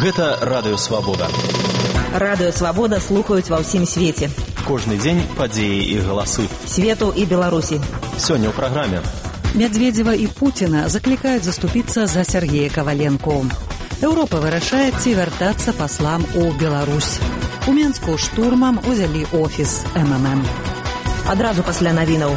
Гэта Радыё Свабода. Радыё Свабода слухаюць ва ўсім свеце. Кожны дзень падзеі і галасы. Свету і Беларусі. Сёння ў праграме. Медведзева і Пуціна заклікаюць заступіцца за Сергея Каваленко. Еўропа вырашае, ці вяртацца паслам у Беларусь. У Менску штурмам узялі офіс МММ. Адразу пасля навінаў.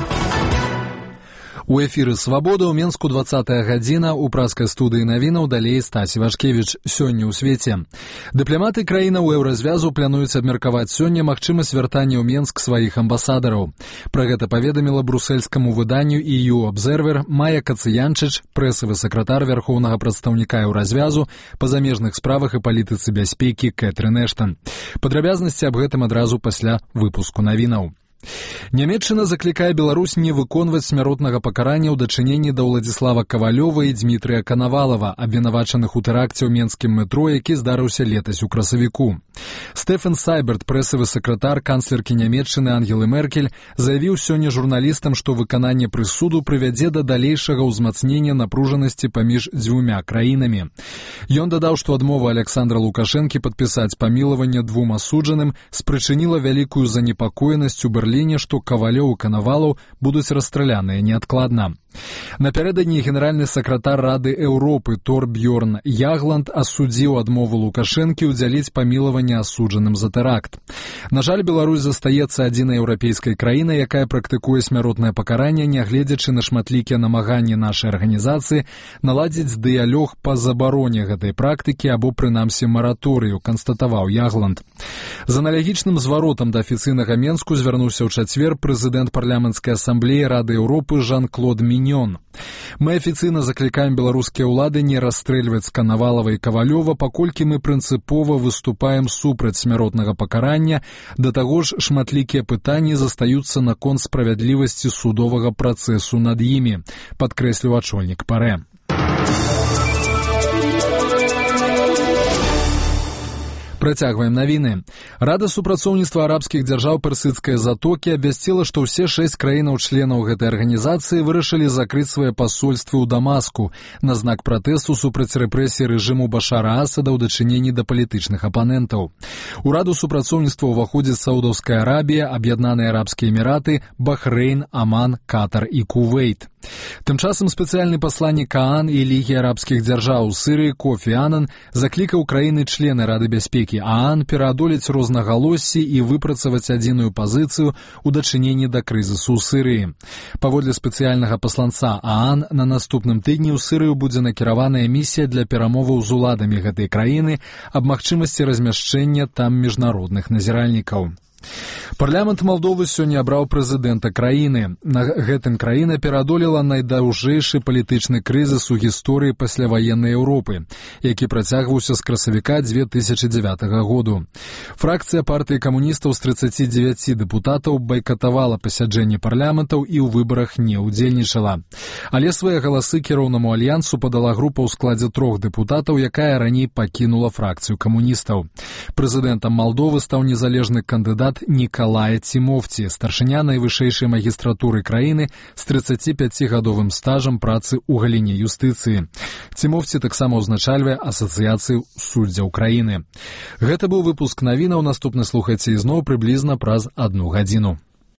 У эфіры «Свабода» ў Менску 20-я гадзіна, у праскай студыі навінаў далей Стась Івашкевіч. Сёння ў свеце. Дыпламаты краінаў еўразвязу плануюць абмеркаваць сёння магчымасць вяртання ў Менск сваіх амбасадараў. Пра гэта паведаміла брусельскаму выданню EU Observer Майя Кацыянчыч, прэсавы сакратар вярхоўнага прадстаўніка еўразвязу па замежных справах і палітыцы бяспекі Кэтрын Эштан. Падрабязнасці аб гэтым адразу пасля выпуску навінаў. Нямецчына заклікае Беларусь не выконваць смяротнага пакарання ў дачыненні да Ўладзіслава Кавалёва і Дмітрыя Канавалава, абвінавачаных у тэракце ў менскім метро, які здарыўся летась у красавіку. Стэфан Сайберт, прэсавы сакратар канцлеркі Нямецчыны Ангелы Меркель, заявіў сёння журналістам, што выкананне прысуду прывядзе да далейшага ўзмацнення напружанасці паміж дзвюмя краінамі. Ён дадаў, што адмова Александра Лукашэнкі падпісаць памілаванне двум асуджаным спрычыніла вялікую занепакоенасць у Берліне, што Кавалёў і Канавалаў будуць расстраляныя неадкладна. Напярэдадні генеральны сакратар Рады Еўропы Торбьёрн Ягланд асудзіў адмову Лукашэнкі ўдзяліць памілаванне асуджаным за тэракт. На жаль, Беларусь застаецца адзінай еўрапейскай краінай, якая практыкуе смяротнае пакаранне, нягледзячы на шматлікія намаганні нашай арганізацыі наладзіць дыялог па забароне гэтай практыкі або прынамсі мараторыю, канстатаваў Ягланд. З аналагічным зваротам да афіцыйнага Менску звярнуўся ў чацвер прэзідэнт парламенцкай асамблеі Рады Еўропы Жан-Клод Міньон. Мы афіцыйна заклікаем беларускія ўлады не расстрэльваць Канавалава і Кавалёва, паколькі мы прынцыпова выступаем супраць смяротнага пакарання, да таго ж шматлікія пытанні застаюцца наконт справядлівасці судовага працэсу над імі, падкрэсліў ачольнік ПАРЭ. Працягваем навіны. Рада супрацоўніцтва арабскіх дзяржаў Персідскай затокі абвясціла, што ўсе 6 краінаў-членаў гэтай арганізацыі вырашылі закрыць свае пасольствы ў Дамаску на знак пратэсту супраць рэпрэсій рэжыму Башара Асада ў дачыненні да палітычных апанентаў. У раду супрацоўніцтва ўваходзіць Саудаўская Арабія, Аб'яднаныя Арабскія Эміраты, Бахрэйн, Аман, Катар і Кувейт. Тым часам спецыяльны пасланнік ААН і Лігі арабскіх дзяржаў у Сірыі Кофі Анан заклікаў краіны-члены Рады бяспекі ААН пераадолець рознагалоссі і выпрацаваць адзіную пазіцыю ў дачыненні да крызісу ў Сірыі. Паводле спецыяльнага пасланца ААН, на наступным тыдні ў Сірыю будзе накіраваная місія для перамоваў з уладамі гэтай краіны аб магчымасці размяшчэння там міжнародных назіральнікаў. Парламент Малдовы сёння абраў прэзідэнта краіны. На гэтым краіна пераадолела найдаўжэйшы палітычны крызіс у гісторыі пасляваеннай Еўропы, які працягваўся з красавіка 2009 году. Фракцыя партыі камуністаў з 39 дэпутатаў байкатавала пасяджэнні парламентаў і ў выбарах не ўдзельнічала. Але свае галасы кіроўнаму альянсу падала група ў складзе 3 дэпутатаў, якая раней пакінула фракцыю камуністаў. Прэзідэнтам Малдовы стаў незалежны кандыдат Нікалая Цімофці, старшыня найвышэйшай магістратуры краіны з 35-гадовым стажам працы ў галіне юстыцыі. Цімофці таксама ўзначальвае асацыяцыю суддзяў краіны. Гэта быў выпуск навінаў, наступны слухайце ізноў прыблізна праз 1 гадзіну.